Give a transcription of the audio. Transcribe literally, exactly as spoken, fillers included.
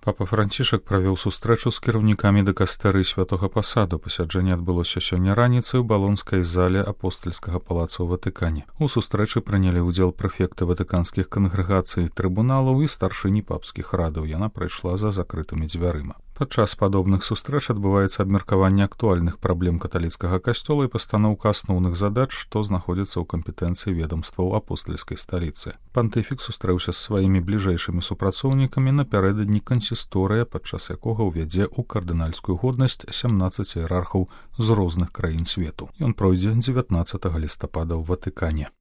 Папа Францішак правёў сустрэчу з кіраўнікамі дыкастэрыі святога пасаду. Пасяджэнне адбылося сёння раніцай у балонскай зале апостальскага палаца ў Ватыкане. У сустрэчы прынялі ўдзел прэфекты ватыканскіх кангрэгацый, трыбуналаў і старшыні папскіх радаў. Яна прайшла за закрытымі дзвярыма. Падчас падобных сустрэч адбываецца абмеркаванне актуальных праблем каталіцкага касцёла і пастаноўка асноўных задач, што знаходзіцца ў кампетэнцыі ведамстваў апостальскай сталіцы. Пантыфік сустрэўся з сваімі бліжэйшымі супрацоўнікамі напярэдадні кансісторыя, падчас якога ўвядзе ў кардынальскую годнасць сямнаццаць іерархаў з розных краін свету. Ён пройдзе дзевятнаццатага лістапада ў Ватыкане.